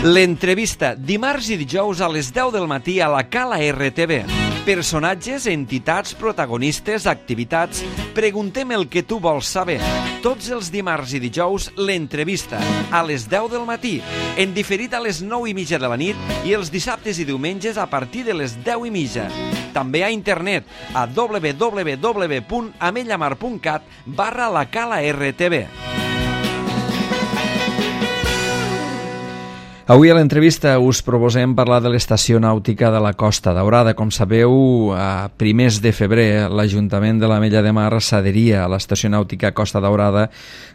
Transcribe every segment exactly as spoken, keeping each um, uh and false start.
L'entrevista, dimarts i dijous a les deu del matí a la Cala R T V. Personatges, entitats, protagonistes, activitats... Preguntem el que tu vols saber. Tots els dimarts i dijous, l'entrevista, a les deu del matí, en diferit a les nou i mitja de la nit i els dissabtes i diumenges a partir de les deu i mitja. També a internet a w w w punt amellamar punt cat barra la Cala R T V. Avui a l'entrevista us proposem parlar de l'estació nàutica de la Costa Daurada. Com sabeu, a primers de febrer l'Ajuntament de l'Ametlla de Mar s'adheria a l'estació nàutica Costa Daurada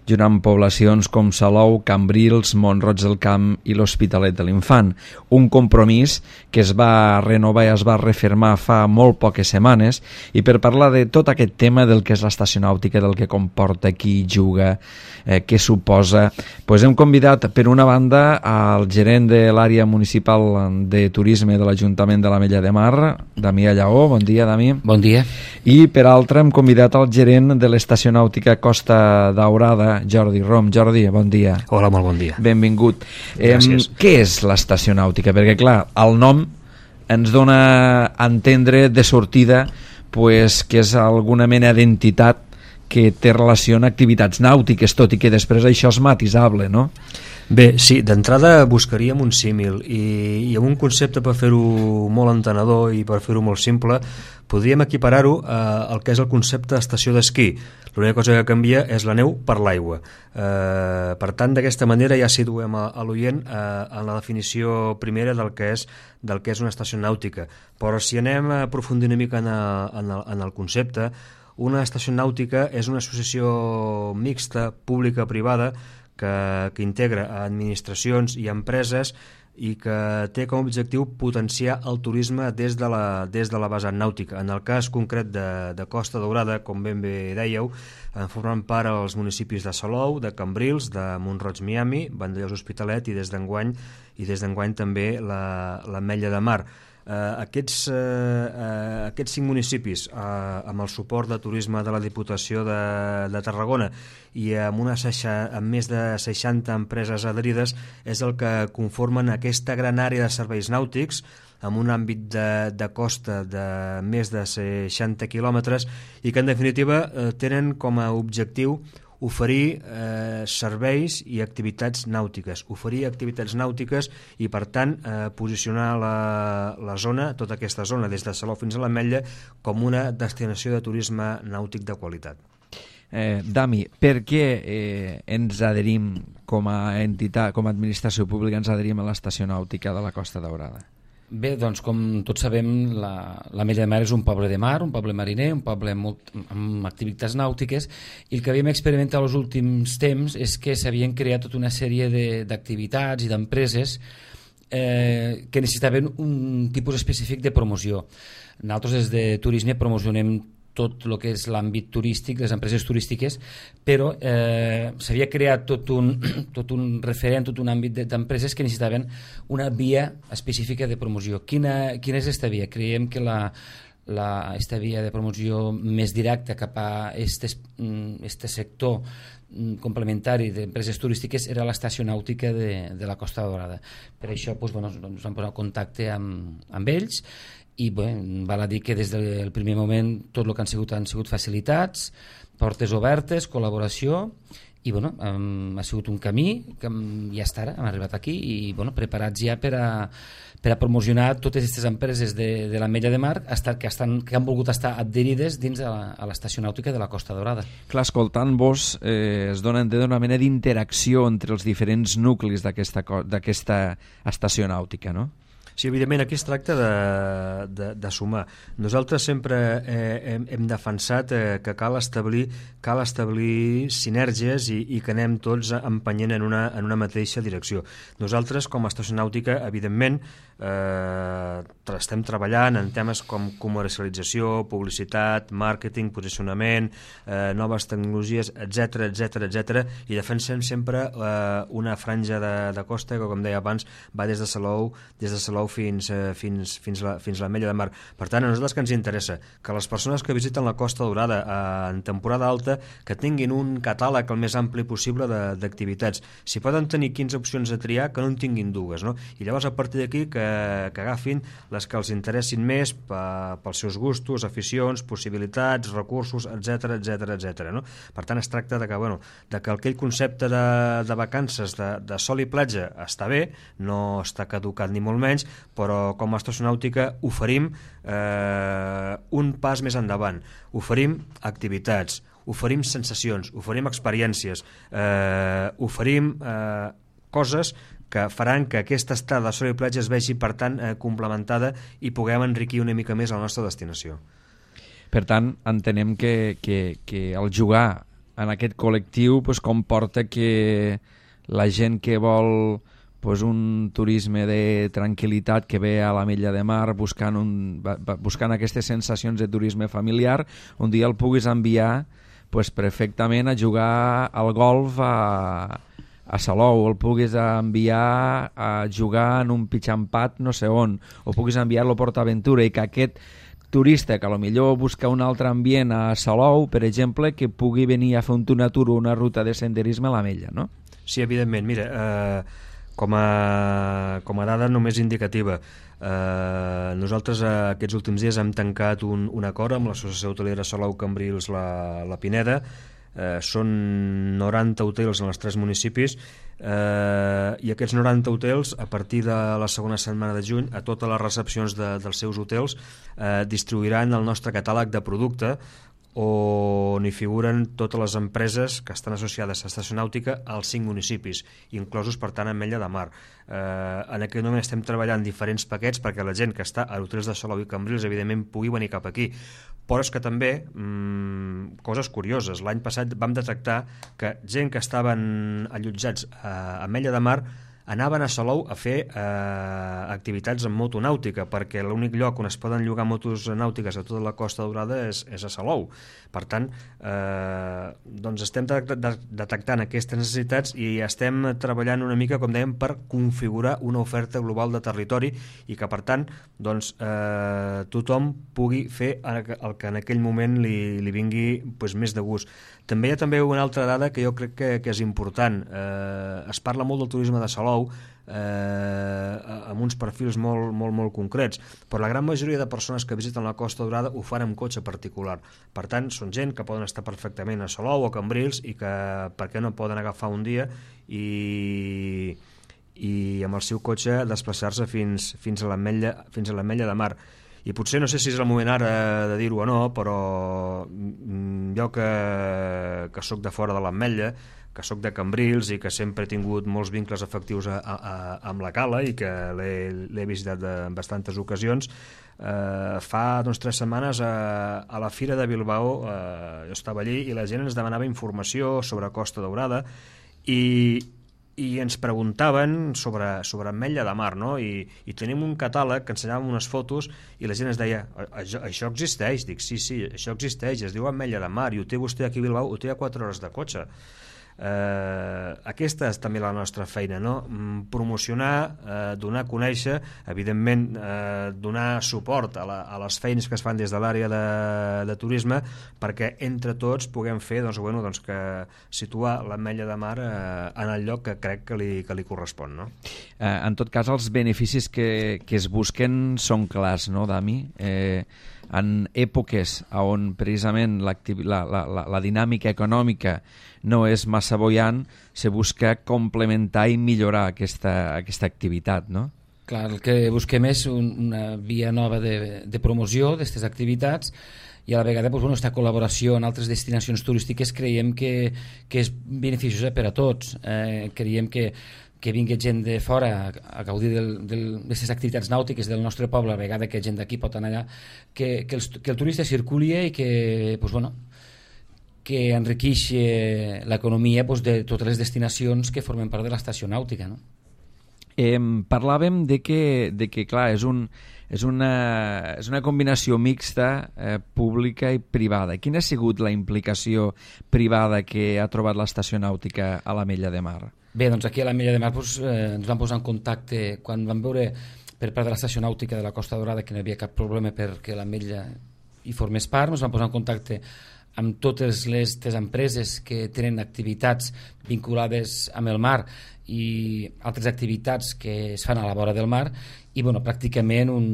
junt amb poblacions com Salou, Cambrils, Mont-roig del Camp i l'Hospitalet de l'Infant. Un compromís que es va renovar i es va refermar fa molt poques setmanes, i per parlar de tot aquest tema del que és l'estació nàutica, del que comporta, qui juga, eh, què suposa, doncs hem convidat per una banda al gerent de l'àrea municipal de turisme de l'Ajuntament de l'Ametlla de Mar, Damià Lleó. Bon dia, Dami. Bon dia. I per altra hem convidat al gerent de l'estació nàutica Costa Daurada, Jordi Rom. Jordi, bon dia. Hola, molt bon dia. Benvingut. Gràcies. Eh, què és l'estació nàutica? Perquè, clar, el nom ens dona a entendre de sortida pues, que és alguna mena d'entitat que té relació amb activitats nàutiques, tot i que després això és matisable, no? Bé, sí, d'entrada buscaríem un símil i, i amb un concepte, per fer-ho molt entenedor i per fer-ho molt simple, podríem equiparar-ho eh, al que és el concepte d'estació d'esquí. L'única cosa que canvia és la neu per l'aigua. Eh, per tant, d'aquesta manera ja situem a, a l'oient eh, en la definició primera del que és del que és una estació nàutica. Però si anem a aprofundir una mica en, a, en, el, en el concepte, una estació nàutica és una associació mixta, pública-privada, que, que integra administracions i empreses i que té com a objectiu potenciar el turisme des de la, des de la vessant nàutica. En el cas concret de, de Costa Daurada, com ben bé dèieu, en formen part els municipis de Salou, de Cambrils, de Mont-roig Miami, Vandellòs Hospitalet i des d'enguany i des d'enguany també l'Ametlla de Mar. Uh, aquests, uh, uh, aquests cinc municipis, uh, amb el suport de turisme de la Diputació de, de Tarragona i amb, una seixa, amb més de seixanta empreses adherides, és el que conformen aquesta gran àrea de serveis nàutics amb un àmbit de, de costa de més de seixanta quilòmetres i que en definitiva uh, tenen com a objectiu oferir eh, serveis i activitats nàutiques, oferir activitats nàutiques i per tant eh, posicionar la, la zona, tota aquesta zona des de Salou fins a l'Ametlla, com una destinació de turisme nàutic de qualitat. Eh, Dami, per què eh, ens adherim com a entitat, com a administració pública, ens adherim a l'estació nàutica de la Costa Daurada? Bé, doncs com tots sabem, l'Ametlla de Mar és un poble de mar, un poble mariner, un poble molt, amb activitats nàutiques, i el que havíem experimentat els últims temps és que s'havien creat tota una sèrie d'activitats i d'empreses eh, que necessitaven un tipus específic de promoció. Nosaltres des de turisme promocionem tot el que és l'àmbit turístic, les empreses turístiques, però eh, s'havia creat tot un, tot un referent, tot un àmbit d'empreses que necessitaven una via específica de promoció. Quina, quina és aquesta via? Creiem que la, la, esta via de promoció més directa cap a este, este sector complementari d'empreses turístiques era l'estació nàutica de, de la Costa Daurada. Per això doncs, bueno, ens vam posar en contacte amb, amb ells i bé, val a dir que des del primer moment tot el que han sigut han sigut facilitats, portes obertes, col·laboració i bueno, um, ha sigut un camí que ja està ara, hem arribat aquí i bueno, preparats ja per a, per a promocionar totes aquestes empreses de, de l'Ametlla de Mar hasta, que, estan, que han volgut estar adherides dins a l'estació nàutica de la Costa Daurada. Clar, escoltant-vos eh, es dona una mena d'interacció entre els diferents nuclis d'aquesta estació nàutica, no? Sí, evidentment, aquí es tracta de, de, de sumar. Nosaltres sempre eh, hem, hem defensat eh, que cal establir, cal establir sinergies i, i que anem tots empenyent en una, en una mateixa direcció. Nosaltres, com a estació nàutica, evidentment, eh, estem treballant en temes com comercialització, publicitat, màrqueting, posicionament, eh, noves tecnologies, etcètera, etcètera, etcètera, i defensem sempre eh, una franja de, de costa que, com deia abans, va des de Salou, des de Salou fins, eh, fins, fins, la, fins l'Ametlla de Mar. Per tant, a nosaltres que ens interessa que les persones que visiten la Costa Daurada eh, en temporada alta que tinguin un catàleg el més ampli possible d'activitats. Si poden tenir quinze opcions a triar, que no en tinguin dues, no? I llavors a partir d'aquí que, que agafin les que els interessin més pels seus gustos, aficions, possibilitats, recursos, etc etc etc. No? Per tant, es tracta de que, bueno, de que aquell concepte de, de vacances de, de sol i platja està bé, no està caducat ni molt menys, però com a estació nàutica oferim eh, un pas més endavant. Oferim activitats, oferim sensacions, oferim experiències, eh, oferim eh, coses que faran que aquesta estada de sol i platja es vegi, per tant, eh, complementada i puguem enriquir una mica més la nostra destinació. Per tant, entenem que, que, que el jugar en aquest col·lectiu pues, comporta que la gent que vol pues, un turisme de tranquil·litat, que ve a l'Ametlla de Mar buscant, un, buscant aquestes sensacions de turisme familiar, un dia el puguis enviar pues, perfectament a jugar al golf a, a Salou, o el puguis enviar a jugar en un pitxampat no sé on, o puguis enviar-lo a PortAventura, i que aquest turista que potser busca un altre ambient a Salou, per exemple, que pugui venir a fer un tour o una ruta de senderisme a l'Ametlla, no? Sí, evidentment. Mira, eh, com, a, com a dada només indicativa, eh, nosaltres eh, aquests últims dies hem tancat un, un acord amb l'Associació Hotelera Salou Cambrils la, la Pineda. Eh, són noranta hotels en els tres municipis, eh, i aquests noranta hotels, a partir de la segona setmana de juny, a totes les recepcions de, dels seus hotels eh, distribuiran el nostre catàleg de producte, on hi figuren totes les empreses que estan associades a Estació Nàutica als cinc municipis, inclosos, per tant, Ametlla de Mar. Eh, en aquest moment estem treballant diferents paquets perquè la gent que està a hotels de Salou i Cambrils, evidentment, pugui venir cap aquí. Però és que també, mmm, coses curioses, l'any passat vam detectar que gent que estaven allotjats a Ametlla de Mar anaven a Salou a fer eh, activitats en moto nàutica, perquè l'únic lloc on es poden llogar motos nàutiques a tota la Costa Daurada és, és a Salou. Per tant, eh, doncs estem de, de, detectant aquestes necessitats i estem treballant una mica, com dèiem, per configurar una oferta global de territori i que, per tant, doncs, eh, tothom pugui fer el que en aquell moment li, li vingui pues, més de gust. També hi ha també una altra dada que jo crec que, que és important. Eh, es parla molt del turisme de Salou, eh, amb uns perfils molt, molt, molt concrets, però la gran majoria de persones que visiten la Costa Daurada ho fan amb cotxe particular. Per tant, són gent que poden estar perfectament a Salou o a Cambrils i que, per què no poden agafar un dia i, i amb el seu cotxe desplaçar-se fins, fins a l'Ametlla fins a l'Ametlla de Mar. I potser no sé si és el moment ara de dir-ho o no, però jo que, que sóc de fora de l'Ametlla, que sóc de Cambrils i que sempre he tingut molts vincles afectius a, a, a, amb la Cala i que l'he visitat en bastantes ocasions, eh, fa doncs, tres setmanes a, a la Fira de Bilbao eh, jo estava allí i la gent ens demanava informació sobre Costa Daurada i i ens preguntaven sobre, sobre Ametlla de Mar, no? I, i tenim un catàleg que ensenyàvem unes fotos i la gent es deia, això, això existeix? Dic, sí, sí, això existeix, es diu Ametlla de Mar i ho té vostè aquí a Bilbao, ho té a quatre hores de cotxe. Eh, aquesta és també la nostra feina, no? Promocionar, eh, donar a conèixer, evidentment eh, donar suport a, la, a les feines que es fan des de l'àrea de, de turisme, perquè entre tots puguem fer doncs, bueno, doncs que situar l'Ametlla de Mar eh, en el lloc que crec que li, que li correspon, no? Eh, en tot cas, els beneficis que, que es busquen són clars, no, Dami? Eh, en èpoques on precisament la, la, la, la dinàmica econòmica no és massa boiant, se busca complementar i millorar aquesta, aquesta activitat, no? Clar, el que busquem és un, una via nova de, de promoció d'aquestes activitats i a la vegada doncs, bueno, aquesta col·laboració en altres destinacions turístiques creiem que, que és beneficiosa per a tots. Eh, creiem que que vingui gent de fora a, a gaudir d'aquestes activitats nàutiques del nostre poble, a vegada que gent d'aquí pot anar allà, que, que, el, que el turista circuli i que, pues, bueno, que enriqueixi l'economia pues, de totes les destinacions que formen part de l'estació nàutica, no? Eh, parlàvem de que, de que clar, és, un, és, una, és una combinació mixta eh, pública i privada. Quina ha sigut la implicació privada que ha trobat l'estació nàutica a l'Ametlla de Mar? Bé, doncs aquí a l'Ametlla de Mar doncs, eh, ens vam posar en contacte quan vam veure per part de l'estació nàutica de la Costa Daurada, que no hi havia cap problema perquè l'Ametlla hi formés part. Ens vam posar en contacte amb totes les empreses que tenen activitats vinculades amb el mar i altres activitats que es fan a la vora del mar, i bueno, pràcticament un,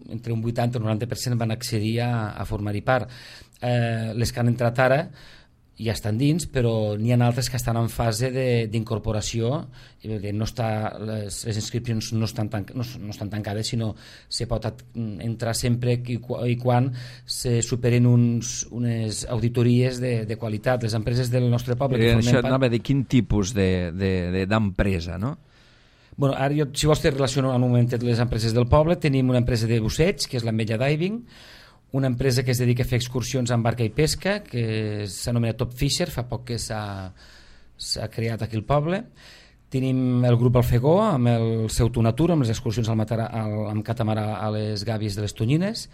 entre un vuitanta i un noranta per cent van accedir a, a formar-hi part. Eh, les que han entrat ara ja estan dins, però n'hi ha altres que estan en fase d'incorporació, no està, les, les inscripcions no estan, tan, no, no estan tancades, sinó se pot entrar sempre i, i quan se superen uns, unes auditories de, de qualitat. Les empreses del nostre poble... Eh, això part... anava de quin tipus d'empresa, de, de, no? Bueno, ara jo, si vols te relaciono un moment amb les empreses del poble. Tenim una empresa de busseig, que és l'Ametlla Diving, una empresa que es dedica a fer excursions amb barca i pesca, que s'anomena Top Fisher, fa poc que s'ha creat aquí al poble. Tenim el grup Alfegó, amb el seu Tunatur, amb les excursions al matar, al, amb catamarà a les gàbies de les Tonyines.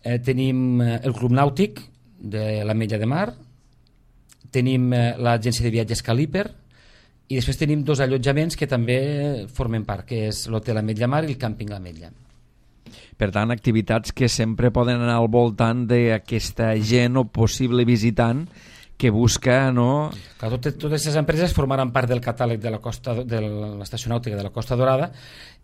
Eh, tenim el Club Nàutic de l'Ametlla de Mar. Tenim eh, l'agència de viatges Caliper. I després tenim dos allotjaments que també formen part, que és l'Hotel Ametlla Mar i el Càmping L'Ametlla. Per tant, activitats que sempre poden anar al voltant d'aquesta gent o possible visitant que busca, no? Clar, totes, totes aquestes empreses formaran part del catàleg de la costa, de l'estació nàutica de la Costa Daurada,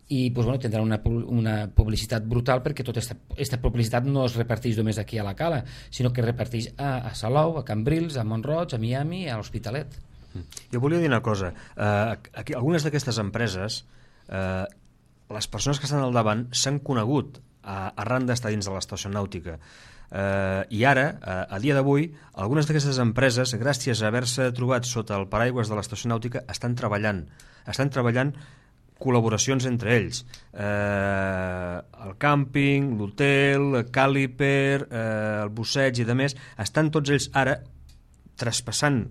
i pues, bueno, tindran una, una publicitat brutal, perquè tota aquesta publicitat no es reparteix només aquí a la Cala, sinó que es reparteix a, a Salou, a Cambrils, a Mont-roig, a Miami, a l'Hospitalet. Jo volia dir una cosa. Uh, aquí, algunes d'aquestes empreses, uh, les persones que estan al davant s'han conegut uh, arran d'estar dins de l'estació nàutica. Uh, I ara, uh, a dia d'avui, algunes d'aquestes empreses, gràcies a haver-se trobat sota el paraigües de l'estació nàutica, estan treballant. Estan treballant col·laboracions entre ells. Eh, el càmping, l'hotel, Caliper, eh, el busseig i demés, estan tots ells ara traspassant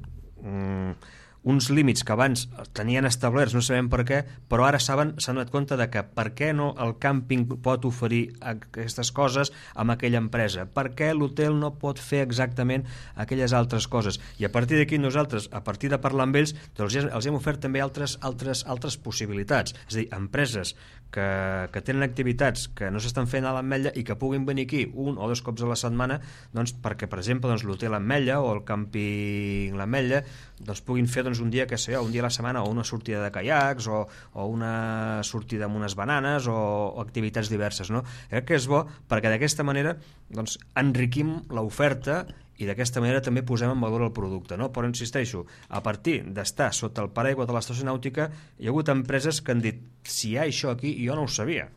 mm, uns límits que abans tenien establerts, no sabem per què, però ara saben, s'han donat compte de que per què no el càmping pot oferir aquestes coses amb aquella empresa, per què l'hotel no pot fer exactament aquelles altres coses, i a partir d'aquí nosaltres, a partir de parlar amb ells, doncs els hem ofert també altres, altres, altres possibilitats, és a dir, empreses que, que tenen activitats que no s'estan fent a l'Ametlla i que puguin venir aquí un o dos cops a la setmana, doncs perquè, per exemple, doncs, l'hotel Ametlla o el càmping l'Ametlla doncs, puguin fer doncs, un dia que sé, un dia a la setmana o una sortida de caiacs o, o una sortida amb unes bananes o, o activitats diverses, no? Crec que és bo perquè d'aquesta manera doncs, enriquim l'oferta i d'aquesta manera també posem en valor el producte, no? Però insisteixo, a partir d'estar sota el paraigua de l'estació nàutica hi ha hagut empreses que han dit si hi ha això aquí jo no ho sabia.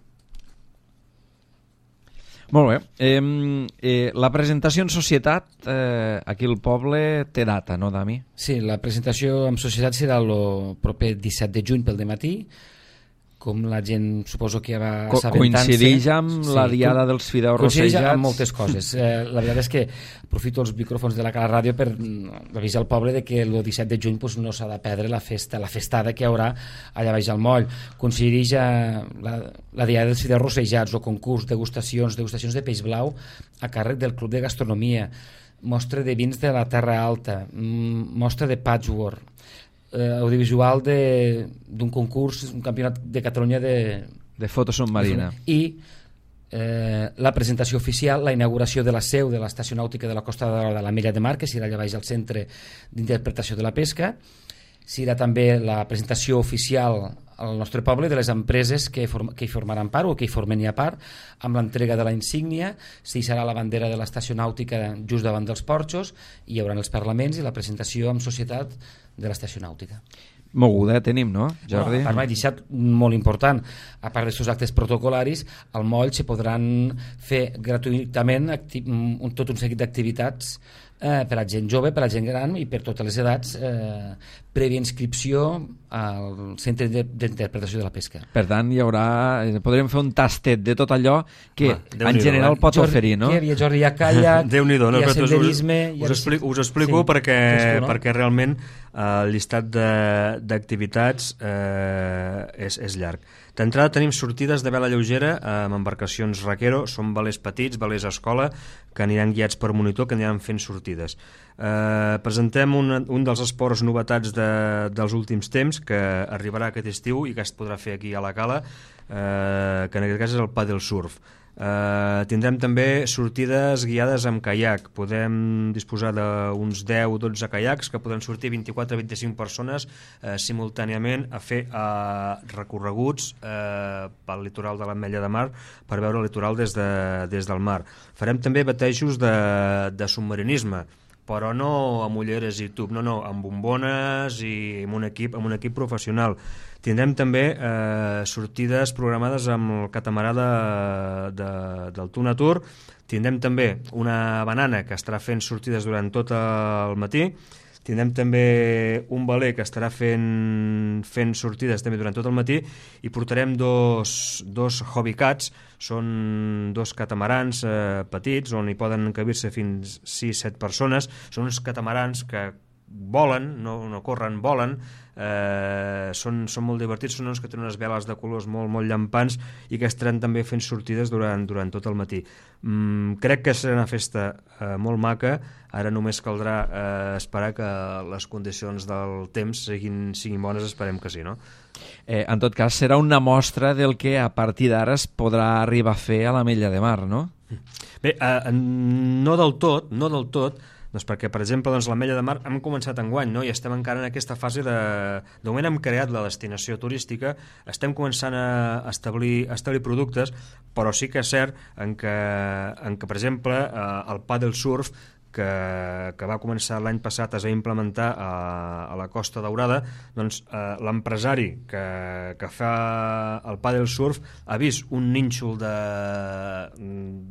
Molt bé. Eh, eh, la presentació en societat eh, aquí al poble té data, no, Dami? Sí, la presentació en societat serà el proper disset de juny pel dematí, com la gent suposo que ja va Co assabentant-se. Coincideix amb sí, la diada co dels fideus rossejats? Coincideix amb moltes coses. Eh, la veritat és que aprofito els micròfons de la Cala Ràdio per avisar al poble de que el disset de juny pues, no s'ha de perdre la festa, la festada que hi haurà allà baix al moll. Coincideix a la, la diada dels fideus rossejats o concurs, degustacions, degustacions de peix blau a càrrec del Club de Gastronomia, mostra de vins de la Terra Alta, mostra de patchwork, Eh, audiovisual d'un concurs, un campionat de Catalunya de, de foto submarina i eh, la presentació oficial, la inauguració de la seu de l'estació nàutica de la Costa de l'Ametlla de Mar, que serà allà baix al centre d'interpretació de la pesca. Serà també la presentació oficial al nostre poble de les empreses que, form que hi formaran part o que hi formen ja part, amb l'entrega de la insígnia. S'hi serà la bandera de l'estació nàutica just davant dels porxos, i hi haurà els parlaments i la presentació en societat de l'estació nàutica. Moguda tenim, no, Jordi? No, a part m'he deixat molt important, a part d'aquests actes protocolaris, al moll se podran fer gratuïtament un, tot un seguit d'activitats eh, per a gent jove, per a gent gran i per totes les edats, eh, prèvia inscripció al centre d'interpretació de la pesca. Per tant, hi haurà, podrem fer un tastet de tot allò que ah, en general eh? pot Jordi, oferir, no? Què hi havia, Jordi? Hi ha caiac, Déu-n'hi-do, no? hi ha senderisme... Us, us, explico, us explico sí, perquè, tu, no? perquè realment el llistat d'activitats eh, és, és llarg. D'entrada tenim sortides de vela lleugera amb embarcacions Raquero, són velers petits, velers a escola, que aniran guiats per monitor, que aniran fent sortides. Eh, presentem un, un dels esports novetats de, dels últims temps, que arribarà aquest estiu i que es podrà fer aquí a la Cala, eh, que en aquest cas és el paddle surf. Uh, tindrem també sortides guiades amb caiac. Podem disposar d'uns deu o dotze caiacs que poden sortir vint-i-quatre a vint-i-cinc persones uh, simultàniament a fer uh, recorreguts uh, pel litoral de l'Ametlla de Mar per veure el litoral des, de, des del mar. Farem també batejos de, de submarinisme, però no amb ulleres i tub, no, no, amb bombones i amb un equip, amb un equip professional. Tindrem també eh, sortides programades amb el catamarà de, de, del Tuna Tour. Tindrem també una banana que estarà fent sortides durant tot el matí. Tindrem també un veler que estarà fent, fent sortides també durant tot el matí i portarem dos, dos hobbycats, són dos catamarans eh, petits on hi poden encabir-se fins sis set persones. Són uns catamarans que volen, no, no corren, volen, eh, són, són molt divertits, són uns que tenen unes veles de colors molt, molt llampants i que estaran també fent sortides durant, durant tot el matí. Mm, crec que serà una festa eh, molt maca. Ara només caldrà eh, esperar que les condicions del temps siguin, siguin bones, esperem que sí, no? Eh, en tot cas, serà una mostra del que a partir d'ara es podrà arribar a fer a l'Ametlla de Mar, no? Bé, eh, no del tot, no del tot, doncs perquè, per exemple, doncs, l'Ametlla de Mar hem començat enguany, no? I estem encara en aquesta fase de... De moment hem creat la destinació turística, estem començant a establir, a establir productes, però sí que és cert en que, en que per exemple, eh, el paddle surf, que, que va començar l'any passat a implementar a, a la Costa Daurada, doncs eh, l'empresari que, que fa el paddle surf ha vist un nínxol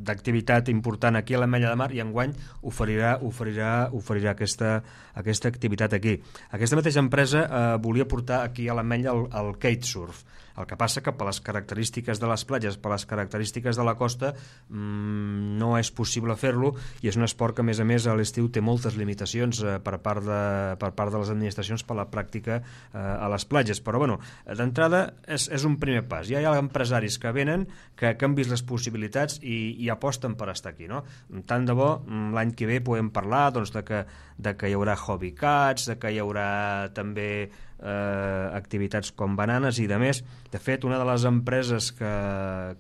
d'activitat important aquí a l'Ametlla de Mar i enguany oferirà, oferirà, oferirà aquesta, aquesta activitat aquí. Aquesta mateixa empresa eh, volia portar aquí a l'Ametlla el, el kitesurf. El que passa que per les característiques de les platges, per les característiques de la costa, mmm, no és possible fer-lo i és un esport que, a més a més, a l'estiu té moltes limitacions eh, per, part de, per part de les administracions per la pràctica eh, a les platges. Però, bueno, d'entrada és, és un primer pas. Ja hi ha empresaris que venen, que, que han vist les possibilitats i, i aposten per estar aquí, no? Tant de bo, l'any que ve podem parlar doncs, de, que, de que hi haurà hobby cats, de que hi haurà també Eh, activitats com bananes i de més. De fet, una de les empreses que,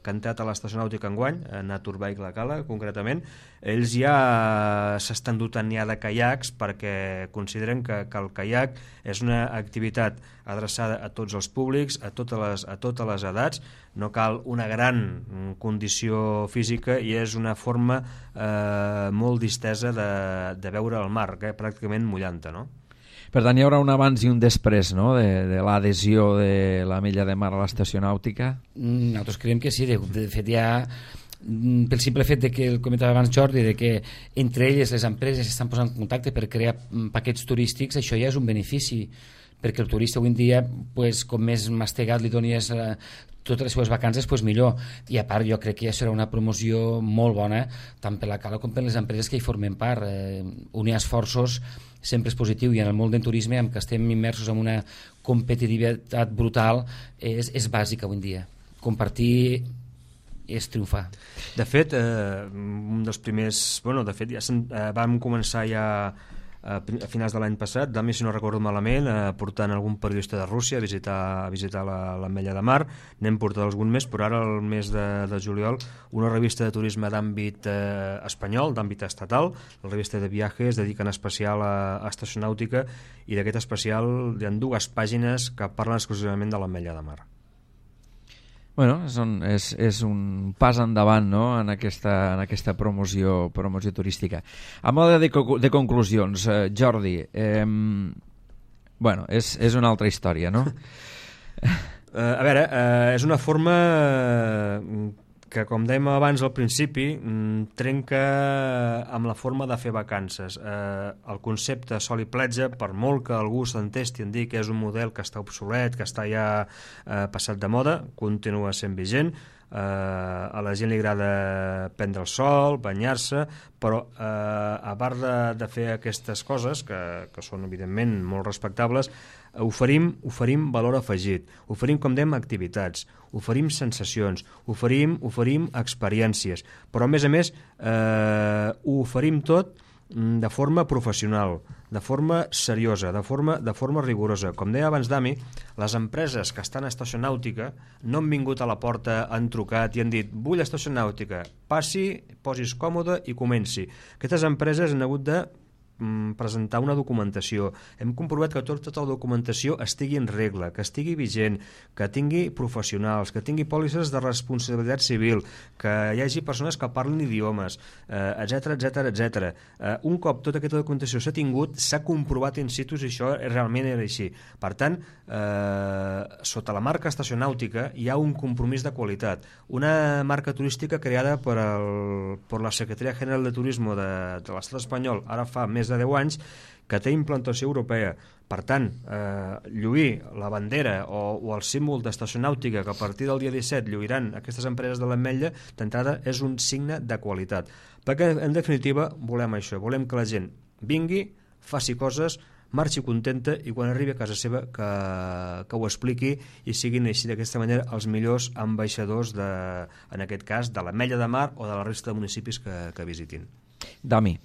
que han entrat a l'estació nàutica enguany, Naturbike La Cala concretament, ells ja s'estan dotant ja de caiacs perquè consideren que, que el caiac és una activitat adreçada a tots els públics, a totes les, a totes les edats, no cal una gran condició física i és una forma eh, molt distesa de, de veure el mar, eh, pràcticament mullant-te, no? Per tant, hi haurà un abans i un després, no?, de, de l'adhesió de l'Ametlla de Mar a l'estació nàutica? Nosaltres creiem que sí. De, de fet, ja pel simple fet de que, el comentava abans Jordi, de que entre elles les empreses estan posant en contacte per crear paquets turístics, això ja és un benefici, perquè el turista avui en dia, pues, com més mastegat li donies eh, totes les seves vacances, pues millor. I a part jo crec que ja serà una promoció molt bona, tant per la Cala com per les empreses que hi formen part. Eh, unir esforços sempre és positiu i en el món del turisme, en què estem immersos en una competitivitat brutal, és, és bàsic avui en dia. Compartir és triomfar. De fet, eh, un dels primers... Bueno, de fet, ja eh, vam començar ja a finals de l'any passat, d'ami, si no recordo malament, eh, portant algun periodista de Rússia a visitar, a visitar l'Ametlla de Mar. N'hem portat algun més, però ara el mes de, de juliol una revista de turisme d'àmbit eh, espanyol, d'àmbit estatal, la revista de viatges, es dedica en especial a, a estació nàutica, i d'aquest especial hi ha dues pàgines que parlen exclusivament de l'Ametlla de Mar. Bueno, és un, és, és un pas endavant, no?, en aquesta, en aquesta promoció, promoció turística. A mode de, de conclusions, eh, Jordi, eh, bueno, és, és una altra història, no? Uh, a veure, uh, és una forma que, com dèiem abans al principi, trenca amb la forma de fer vacances. Uh, el concepte sol i platja, per molt que algú s'entesti en dir que és un model que està obsolet, que està ja uh, passat de moda, continua sent vigent. Uh, a la gent li agrada prendre el sol, banyar-se, però uh, a part de, de fer aquestes coses, que, que són evidentment molt respectables, oferim, oferim valor afegit, oferim, com dèiem, activitats, oferim sensacions, oferim, oferim experiències, però a més a més eh, ho oferim tot de forma professional, de forma seriosa, de forma, de forma rigorosa. Com deia abans Dami, les empreses que estan a Estació Nàutica no han vingut a la porta, han trucat i han dit vull Estació Nàutica, passi, posis còmode i comenci. Aquestes empreses han hagut de presentar una documentació. Hem comprovat que tot, tota la documentació estigui en regla, que estigui vigent, que tingui professionals, que tingui pòlisses de responsabilitat civil, que hi hagi persones que parlen idiomes, etc etc etc. Un cop tota aquesta documentació s'ha tingut, s'ha comprovat in situ si això realment era així. Per tant, eh, sota la marca Estació Nàutica hi ha un compromís de qualitat. Una marca turística creada per, el, per la Secretaria General de Turismo de, de l'Estat espanyol ara fa més de deu anys, que té implantació europea. Per tant, eh, lluir la bandera o, o el símbol d'Estació Nàutica que a partir del dia disset lluiran aquestes empreses de l'Ametlla, d'entrada és un signe de qualitat. Perquè, en definitiva, volem això, volem que la gent vingui, faci coses, marxi contenta i quan arribi a casa seva que, que ho expliqui i siguin així d'aquesta manera els millors ambaixadors de, en aquest cas, de l'Ametlla de Mar o de la resta de municipis que, que visitin. Dami.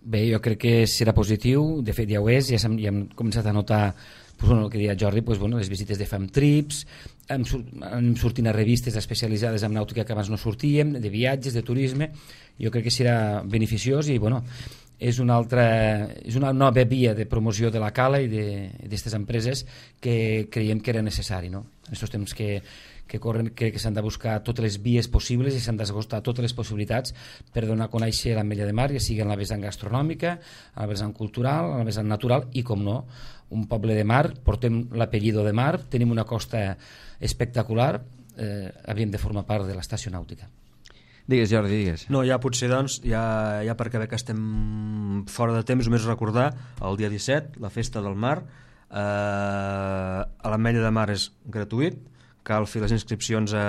Bé, jo crec que serà positiu, de fet ja ho és, ja hem, ja hem començat a notar pues, bueno, el que deia Jordi, pues, bueno, les visites de Fam Trips, hem, hem sortint a revistes especialitzades en nàutica que abans no sortíem, de viatges, de turisme, jo crec que serà beneficiós i bueno, és una, altra, és una nova via de promoció de la cala i d'aquestes empreses que creiem que era necessari, no? En aquests temps que, que corren, crec que s'han de buscar totes les vies possibles i s'han d'esgotar totes les possibilitats per donar a conèixer l'Ametlla de Mar, ja sigui en la vessant gastronòmica, en la vessant cultural, en la vessant natural i, com no, un poble de mar, portem l'apellido de mar, tenim una costa espectacular, eh, havíem de formar part de l'Estació Nàutica. Digues, Jordi, digues. No, ja potser, doncs, ja, ja perquè bé que estem fora de temps, només recordar el dia disset, la Festa del Mar, eh, a l'Ametlla de Mar és gratuït, cal fer les inscripcions a,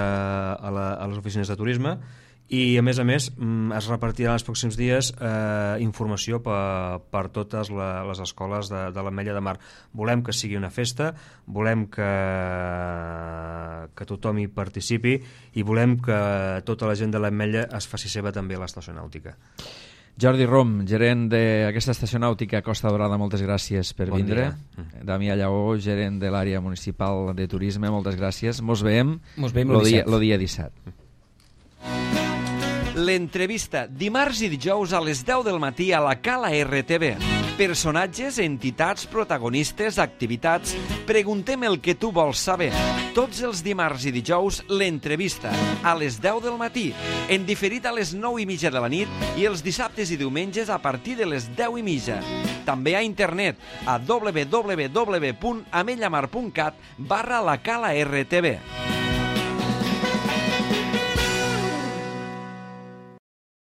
a, la, a les oficines de turisme i, a més a més, es repartirà en els pròxims dies eh, informació per, per totes la, les escoles de, de l'Ametlla de Mar. Volem que sigui una festa, volem que, que tothom hi participi i volem que tota la gent de l'Ametlla es faci seva també a l'Estació Nàutica. Jordi Rom, gerent d'aquesta estació nàutica Costa Daurada, moltes gràcies per bon vindre. Dia. Damià Lleó, gerent de l'àrea municipal de turisme, moltes gràcies. Mos veiem, Mos veiem lo el dia, lo dia disset. L'entrevista dimarts i dijous a les deu del matí a la Cala R T V. Personatges, entitats, protagonistes, activitats. Preguntem el que tu vols saber. Tots els dimarts i dijous, l'entrevista a les deu del matí, en diferit a les nou i mitja de la nit i els dissabtes i diumenges a partir de les deu i mitja. També a internet a w w w punt amellamar punt cat barra la Cala R T V.